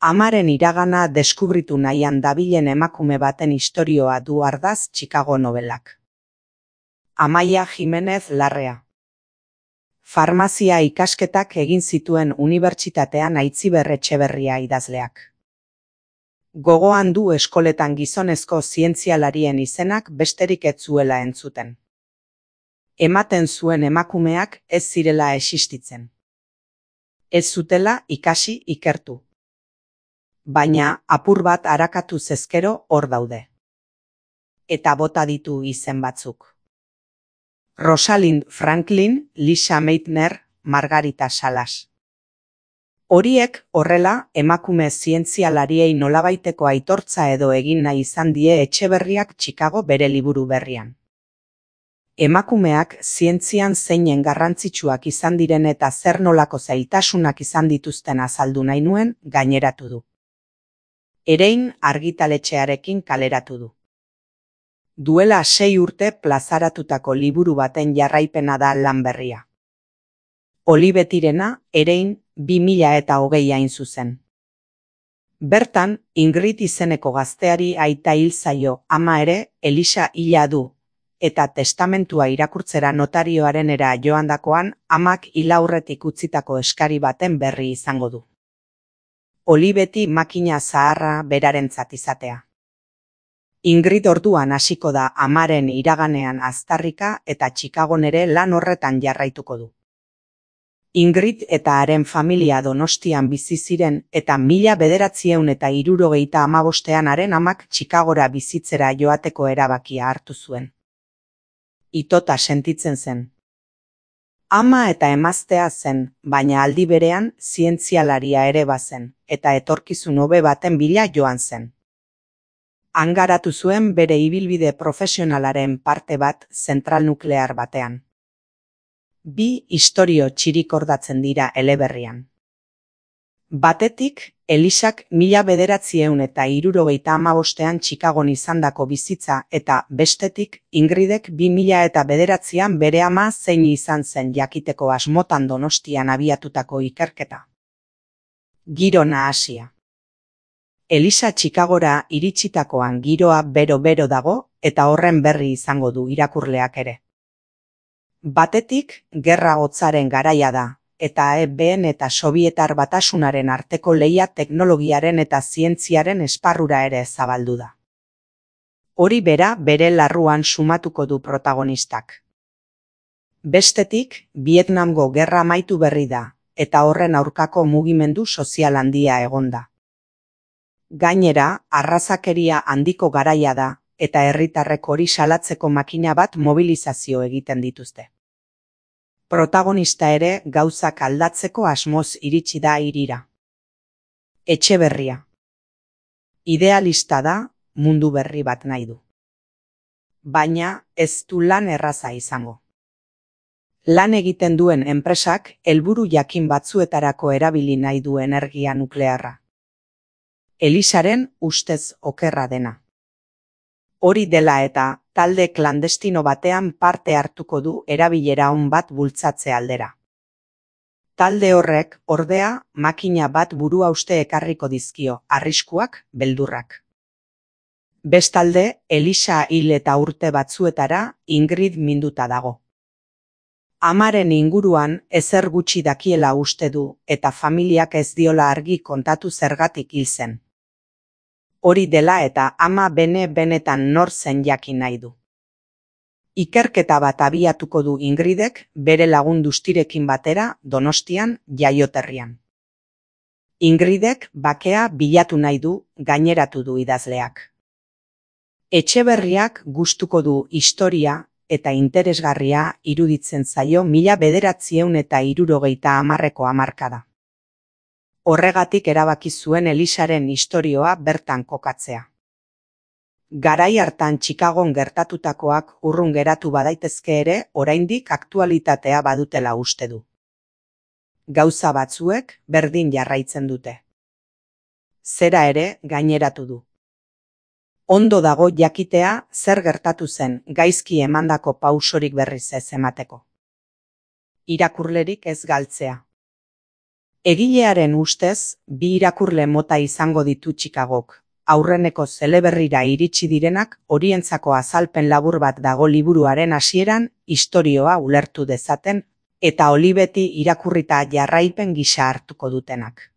Amaren iragana deskubritu nahian dabilen emakume baten istorioa du ardaz Chicago nobelak. Amaia Jimenez Larrea. Farmazia ikasketak egin zituen unibertsitatean Aitziber Etxeberria idazleak. Gogoan du eskoletan gizonezko zientzialarien izenak besterik ez zuela entzuten. Ematen zuen emakumeak ez zirela existitzen. Ez zutela ikasi ikertu. Baina apur bat arakatu zezkero hor daude. Eta bota ditu izen batzuk. Rosalind Franklin, Lisa Meitner, Margarita Salas. Horiek horrela emakume zientzialariei nolabaiteko aitortza edo egin nahi izan die Etxeberriak Chicago bere liburu berrian. Emakumeak zientzian zeinen garrantzitsuak izan diren eta zer nolako zailtasunak izan dituzten azaldu nahi nuen gaineratu du. Erein argitaletxearekin kaleratu du. Duela 6 urte plazaratutako liburu baten jarraipena da lan berria. Olibetirena Erein 2020 hain zuzen. Bertan, Ingrid izeneko gazteari aita hil zaio, ama ere Elisa hila du, eta testamentua irakurtzera notarioarenera joandakoan amak hil aurretik utzitako eskari baten berri izango du. Olibeti makina zaharra berarentzat izatea. Ingrid orduan hasiko da amaren iraganean aztarrika eta Chicagon ere lan horretan jarraituko du. Ingrid eta haren familia Donostian bizi ziren eta 1975ean haren amak Chicagora bizitzera joateko erabakia hartu zuen. Itota sentitzen zen. Ama eta emaztea zen, baina aldi berean zientzialaria ere bazen, eta etorkizun hobe baten bila joan zen. Hangaratu zuen bere ibilbide profesionalaren parte bat zentral nuklear batean. 2 istorio txirikordatzen dira eleberrian. Batetik, Elisak 1975ean Chicagon izandako bizitza eta bestetik Ingridek 2009an bere ama zein izan zen jakiteko asmotan Donostian abiatutako ikerketa. Giro nahasia. Elisa Chicagora iritsitakoan giroa bero-bero dago eta horren berri izango du irakurleak ere. Batetik, gerra hotzaren garaia da, eta EBN eta Sobietar Batasunaren arteko lehia teknologiaren eta zientziaren esparrura ere zabaldu da. Hori bera bere larruan sumatuko du protagonistak. Bestetik, Vietnamgo gerra amaitu berri da, eta horren aurkako mugimendu sozial handia egonda. Gainera, arrazakeria handiko garaia da, eta herritarrek hori salatzeko makina bat mobilizazio egiten dituzte. Protagonista ere gauzak aldatzeko asmoz iritsi da hirira. Etxeberria. Idealista da, mundu berri bat nahi du. Baina ez du lan erraza izango. Lan egiten duen enpresak helburu jakin batzuetarako erabili nahi du energia nuklearra. Elisaren ustez okerra dena. Hori dela eta talde klandestino batean parte hartuko du erabilera on bat bultzatze aldera. Talde horrek, ordea, makina bat buruhauste ekarriko dizkio, arriskuak, beldurrak. Bestalde, Elisa hil eta urte batzuetara Ingrid minduta dago. Amaren inguruan ezer gutxi dakiela uste du eta familiak ez diola argi kontatu zergatik hil zen. Hori dela eta ama benetan nor zen jakin nahi du. Ikerketa bat abiatuko du Ingridek bere lagun Dustirekin batera Donostian jaioterrian. Ingridek bakea bilatu nahi du gaineratu du idazleak. Etxeberriak gustuko du historia eta interesgarria iruditzen zaio 1970ko hamarkada. Horregatik erabaki zuen Elisaren istorioa bertan kokatzea. Garai hartan Chicagon gertatutakoak urrun geratu badaitezke ere oraindik aktualitatea badutela uste du. Gauza batzuek berdin jarraitzen dute. Zera ere gaineratu du. Ondo dago jakitea zer gertatu zen gaizki emandako pausorik berriz ez emateko. Irakurlerik ez galtzea. Egilearen ustez, 2 irakurle mota izango ditu Chicagok. Aurreneko eleberrira iritsi direnak, horientzako azalpen labur bat dago liburuaren hasieran, istorioa ulertu dezaten, eta olibeti irakurrita jarraipen gisa hartuko dutenak.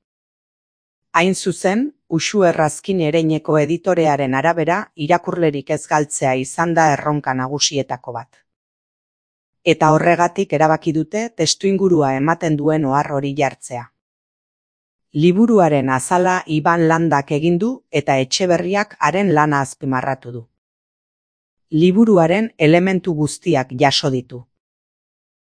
Hain zuzen, Uxue Errazkin Ereineko editorearen arabera, irakurlerik ez galtzea izan da erronka nagusietako bat. Eta horregatik erabaki dute testuingurua ematen duen ohar hori jartzea. Liburuaren azala Iban Landak egin du eta Etxeberriak haren lana azpimarratu du. Liburuaren elementu guztiak jaso ditu.